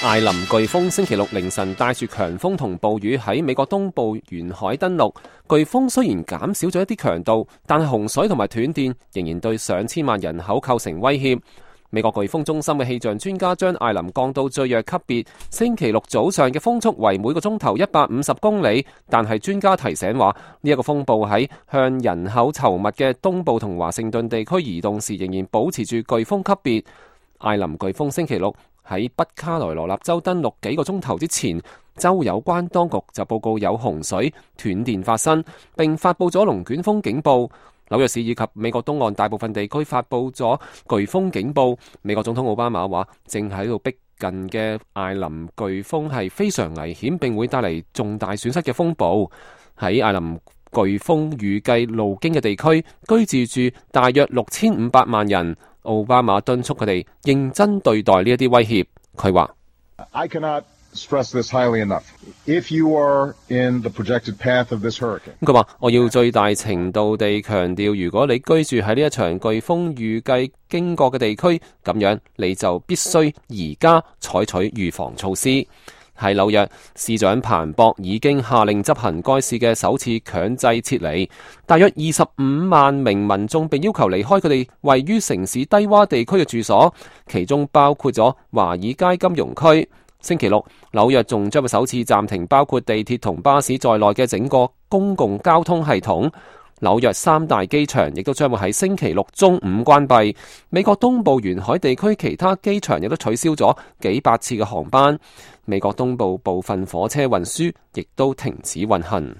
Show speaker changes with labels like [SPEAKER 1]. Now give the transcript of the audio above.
[SPEAKER 1] 艾琳颶風星期六凌晨帶住強風同暴雨喺美國東部沿海登陸。颶風雖然減少咗一啲強度，但係洪水同埋斷電仍然對上千萬人口構成威脅。美國颶風中心嘅氣象專家將艾琳降到最弱級別，星期六早上嘅風速為每個鐘頭150公里。但係專家提醒話，呢一個風暴喺向人口稠密嘅東部同華盛頓地區移動時，仍然保持住颶風級別。艾琳颶風星期六喺北卡羅來納州登陸幾個鐘頭之前，州有關當局就報告有洪水、斷電發生，並發佈咗龍捲風警報。紐約市以及美國東岸大部分地區發佈咗颶風警報。美國總統奧巴馬話，正喺度逼近嘅艾琳颶風係非常危險，並會帶嚟重大損失嘅風暴。喺艾琳颶風預計路經嘅地區，居住住大約6500萬人。奧巴馬敦促佢哋認真對待呢一啲威脅。佢話：佢話我要最大程度地強調，如果你居住喺呢一場颶風預計經過嘅地區，咁樣你就必須而家採取預防措施。喺紐約，市長彭博已經下令執行該市嘅首次強制撤離，大約25萬名民眾被要求離開佢哋位於城市低洼地區嘅住所，其中包括咗華爾街金融區。星期六，紐約仲將會首次暫停包括地鐵同巴士在內嘅整個公共交通系統。紐約3大機場亦都將會喺星期六中午關閉。美國東部沿海地區其他機場亦都取消咗幾百次嘅航班。美國東部部分火車運輸亦都停止運行。